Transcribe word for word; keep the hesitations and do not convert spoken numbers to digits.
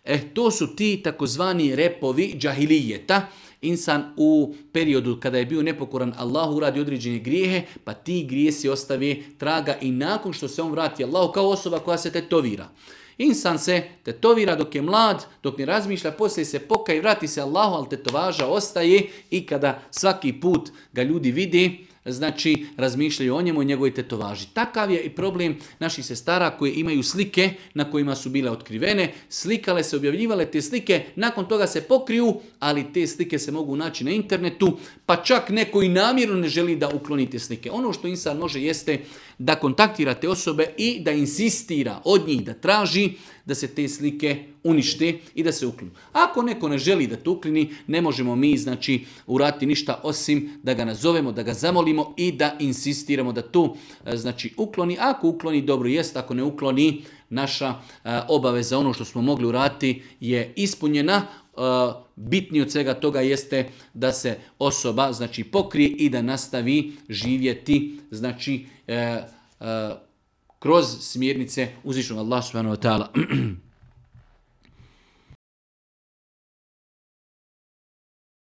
E, to su ti takozvani repovi džahilijeta. Insan u periodu kada je bio nepokoran Allahu uradi određene grijehe, pa ti grijesi ostave traga i nakon što se on vrati Allahu kao osoba koja se tetovira. Insan se tetovira dok je mlad, dok ne razmišlja, poslije se pokaje i vrati se Allahu, ali tetovaža ostaje i kada svaki put ga ljudi vide, znači razmišljaju o njemu i njegovoj tetovaži. Takav je i problem naših sestara koje imaju slike na kojima su bile otkrivene, slikale se, objavljivale te slike, nakon toga se pokriju, ali te slike se mogu naći na internetu, pa čak neko i namjerno ne želi da ukloni te slike. Ono što insan može jeste da kontaktira te osobe i da insistira od njih, da traži da se te slike unište i da se uklonu. Ako neko ne želi da to ukloni, ne možemo mi znači uraditi ništa osim da ga nazovemo, da ga zamolimo i da insistiramo da to znači ukloni. Ako ukloni, dobro jest, ako ne ukloni, naša a, obaveza, ono što smo mogli uraditi je ispunjena. A, bitnije od svega toga jeste da se osoba znači pokrije i da nastavi živjeti znači a, a, kroz smjernice uzvišenog Allaha subhanahu wa ta'ala.